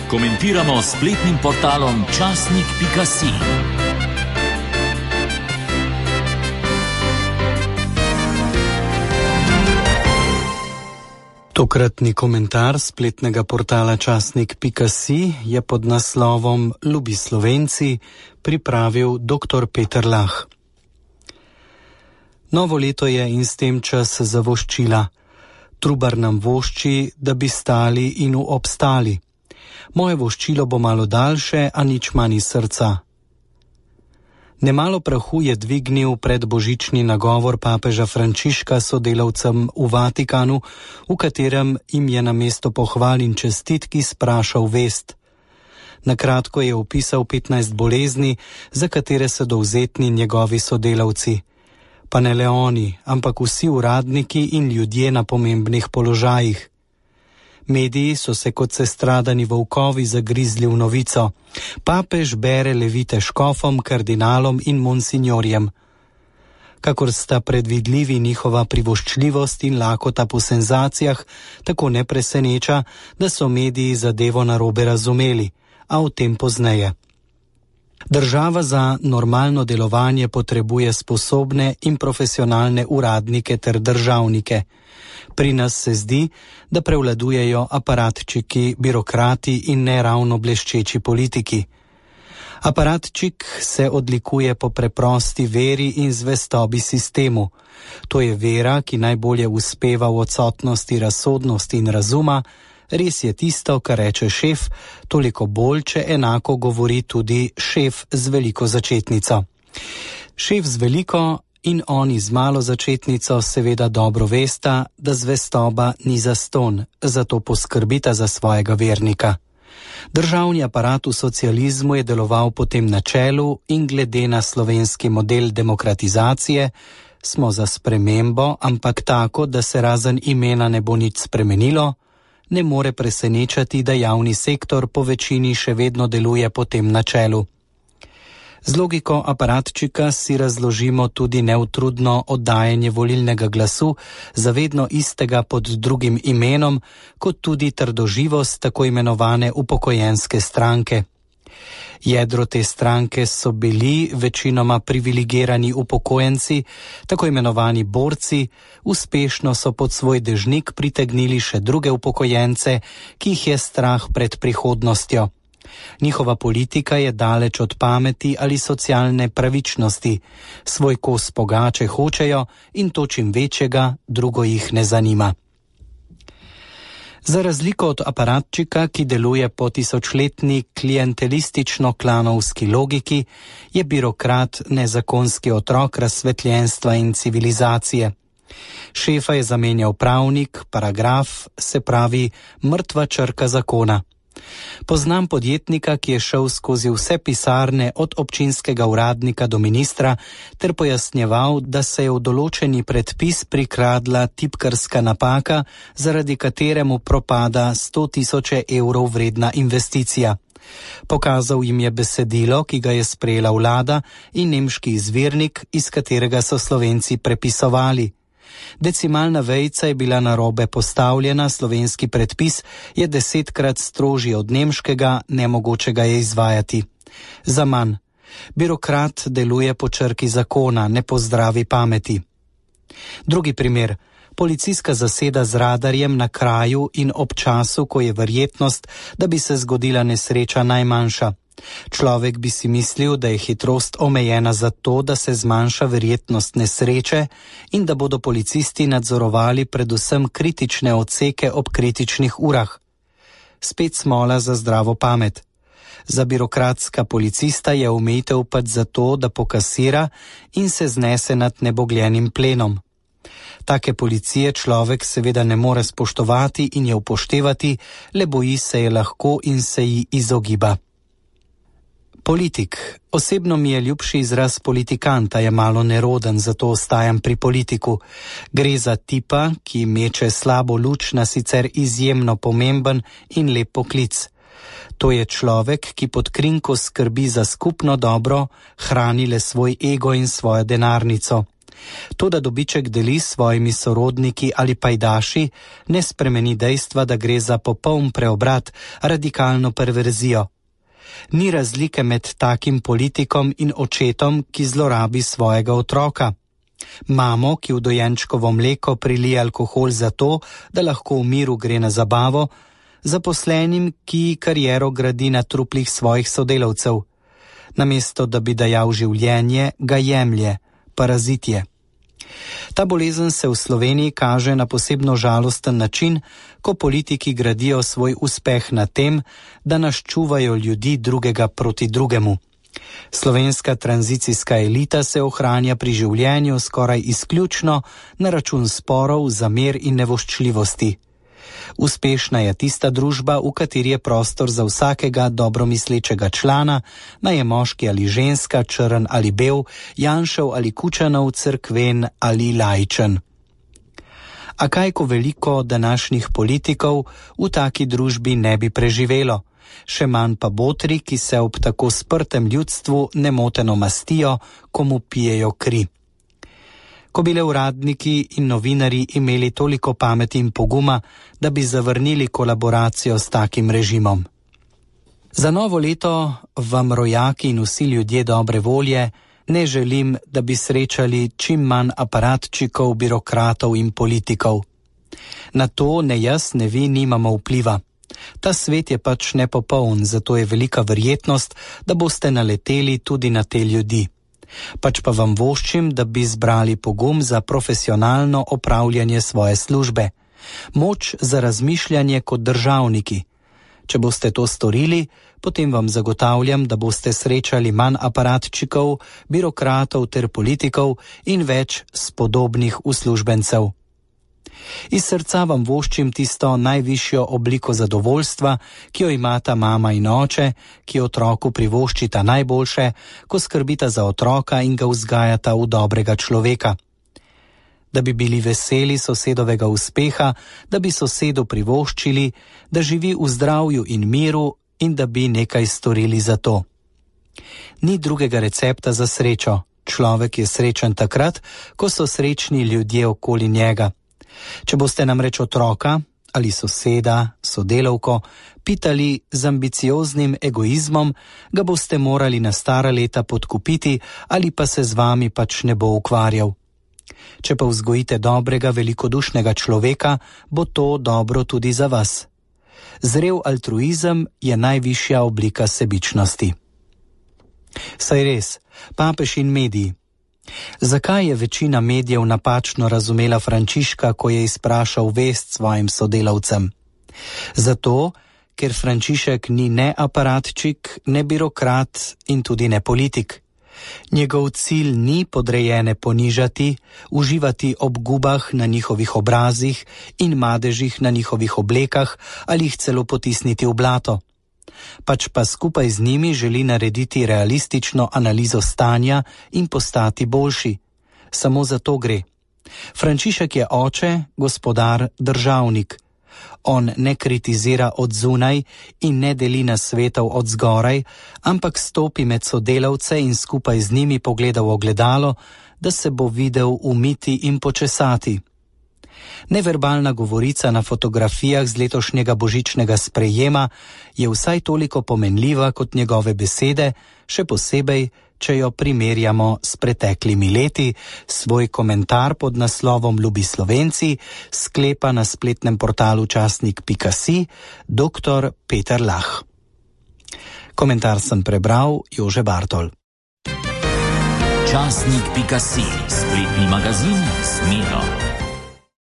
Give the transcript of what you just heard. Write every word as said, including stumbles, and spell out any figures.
Komentiramo s spletnim portalom časnik pika si. Tokratni komentar spletnega portala časnik pika si je pod naslovom Ljubi Slovenci pripravil doktor Peter Lah. Novo leto je in s tem čas za voščila. Trubar nam vošči, da bi stali in obstali. Moje voščilo bo malo daljše, a nič manj iz srca. Nemalo prahu je dvignil predbožični nagovor papeža Frančiška sodelavcem v Vatikanu, v katerem jim je namesto pohval in čestitki sprašal vest. Na kratko je opisal petnajst bolezni, za katere so dovzetni njegovi sodelavci. Pa ne le oni, ampak vsi uradniki in ljudje na pomembnih položajih. Mediji so se kot sestradani volkovi zagrizli v novico. Papež bere levite škofom, kardinalom in monsinjorjem. Kakor sta predvidljivi njihova privoščljivost in lakota po senzacijah, tako ne preseneča, da so mediji zadevo narobe razumeli, a o tem pozneje. Država za normalno delovanje potrebuje sposobne in profesionalne uradnike ter državnike. Pri nas se zdi, da prevladujejo aparatčiki, birokrati in neravno bleščeči politiki. Aparatčik se odlikuje po preprosti veri in zvestobi sistemu. To je vera, ki najbolje uspeva v odsotnosti razsodnosti in razuma. Res je tisto, kar reče šef, toliko bolj, če enako govori tudi šef z veliko začetnico. Šef z veliko in oni z malo začetnico seveda dobro vesta, da zvestoba ni zastonj, zato poskrbita za svojega vernika. Državni aparat v socializmu je deloval po tem načelu in glede na slovenski model demokratizacije smo za spremembo, ampak tako, da se razen imena ne bo nič spremenilo, ne more presenečati, da javni sektor po večini še vedno deluje po tem načelu. Z logiko aparatčika si razložimo tudi neutrudno oddajanje volilnega glasu za vedno istega pod drugim imenom, kot tudi trdoživost tako imenovane upokojenske stranke. Jedro te stranke so bili večinoma privilegirani upokojenci, tako imenovani borci, uspešno so pod svoj dežnik pritegnili še druge upokojence, ki jih je strah pred prihodnostjo. Njihova politika je daleč od pameti ali socialne pravičnosti. Svoj kos pogače hočejo in to čim večjega, drugo jih ne zanima. Za razliko od aparatčika, ki deluje po tisočletni klientelistično-klanovski logiki, je birokrat nezakonski otrok razsvetljenstva in civilizacije. Šefa je zamenjal pravnik, paragraf, se pravi mrtva črka zakona. Poznam podjetnika, ki je šel skozi vse pisarne od občinskega uradnika do ministra ter pojasnjeval, da se je v določeni predpis prikradla tipkarska napaka, zaradi kateremu propada sto tisoče evrov vredna investicija. Pokazal jim je besedilo, ki ga je sprejela vlada in nemški izvirnik, iz katerega so Slovenci prepisovali. Decimalna vejica je bila narobe postavljena, slovenski predpis je desetkrat strožji od nemškega, nemogočega je izvajati. Za manj. Birokrat deluje po črki zakona, ne po zdravi pameti. Drugi primer. Policijska zaseda z radarjem na kraju in ob času, ko je verjetnost, da bi se zgodila nesreča najmanjša. Človek bi si mislil, da je hitrost omejena zato, da se zmanjša verjetnost nesreče in da bodo policisti nadzorovali predvsem kritične odseke ob kritičnih urah. Spet smola za zdravo pamet. Za birokratska policista je omejitev pač zato, da pokasira in se znese nad nebogljenim plenom. Take policije človek seveda ne more spoštovati in je upoštevati, le boji se je lahko in se ji izogiba. Politik. Osebno mi je ljubši izraz politikanta, je malo neroden, zato ostajam pri politiku. Gre za tipa, ki meče slabo luč na sicer izjemno pomemben in lep poklic. To je človek, ki pod krinko skrbi za skupno dobro, hrani le svoj ego in svojo denarnico. To, da dobiček deli s svojimi sorodniki ali pajdaši, ne spremeni dejstva, da gre za popoln preobrat, radikalno perverzijo. Ni razlike med takim politikom in očetom, ki zlorabi svojega otroka. Mamo, ki v dojenčkovo mleko prilije alkohol zato, da lahko v miru gre na zabavo, zaposlenim, ki kariero gradi na truplih svojih sodelavcev. Namesto, da bi dajal življenje, ga jemlje, parazit je. Ta bolezen se v Sloveniji kaže na posebno žalosten način, ko politiki gradijo svoj uspeh na tem, da nas čuvajo ljudi drugega proti drugemu. Slovenska tranzicijska elita se ohranja pri življenju skoraj izključno na račun sporov, zamer in nevoščljivosti. Uspešna je tista družba, v kateri je prostor za vsakega dobromislečega člana, naj je moški ali ženska, črn ali bel, Janšev ali Kučanov, cerkven ali laičen. A kaj ko veliko današnjih politikov v taki družbi ne bi preživelo, še manj pa botri, ki se ob tako sprtem ljudstvu nemoteno mastijo, ko mu pijejo kri. Ko bi le uradniki in novinari imeli toliko pameti in poguma, da bi zavrnili kolaboracijo s takim režimom. Za novo leto vam, rojaki in vsi ljudje dobre volje, ne želim, da bi srečali čim manj aparatčikov, birokratov in politikov. Na to ne jaz, ne vi nimamo vpliva. Ta svet je pač nepopoln, zato je velika verjetnost, da boste naleteli tudi na te ljudi. Pač pa vam voščim, da bi zbrali pogum za profesionalno opravljanje svoje službe, moč za razmišljanje kot državniki. Če boste to storili, potem vam zagotavljam, da boste srečali manj aparatčikov, birokratov ter politikov in več spodobnih uslužbencev. Iz srca vam voščim tisto najvišjo obliko zadovoljstva, ki jo imata mama in oče, ki otroku privoščita najboljše, ko skrbita za otroka in ga vzgajata v dobrega človeka. Da bi bili veseli sosedovega uspeha, da bi sosedu privoščili, da živi v zdravju in miru in da bi nekaj storili za to. Ni drugega recepta za srečo. Človek je srečen takrat, ko so srečni ljudje okoli njega. Če boste namreč otroka ali soseda, sodelavko pitali z ambicioznim egoizmom, ga boste morali na stara leta podkupiti ali pa se z vami pač ne bo ukvarjal. Če pa vzgojite dobrega, velikodušnega človeka, bo to dobro tudi za vas. Zrel altruizem je najvišja oblika sebičnosti. Saj res, papež in mediji. Zakaj je večina medijev napačno razumela Frančiška, ko je izprašal vest svojim sodelavcem? Zato, ker Frančišek ni ne aparatčik, ne birokrat in tudi ne politik. Njegov cilj ni podrejene ponižati, uživati ob gubah na njihovih obrazih in madežih na njihovih oblekah ali jih celo potisniti v blato. Pač pa skupaj z njimi želi narediti realistično analizo stanja in postati boljši. Samo za to gre. Frančišek je oče, gospodar, državnik. On ne kritizira od zunaj in ne deli nasvetov od zgoraj, ampak stopi med sodelavce in skupaj z njimi pogleda v ogledalo, da se bo videl umiti in počesati. Neverbalna govorica na fotografijah z letošnjega božičnega sprejema je vsaj toliko pomenljiva kot njegove besede, še posebej, če jo primerjamo s preteklimi leti. Svoj komentar pod naslovom Ljubi Slovenci sklepa na spletnem portalu časnik pika si doktor Peter Lah. Komentar sem prebral Jože Bartol. Časnik pika si, spletni magazin s Miro.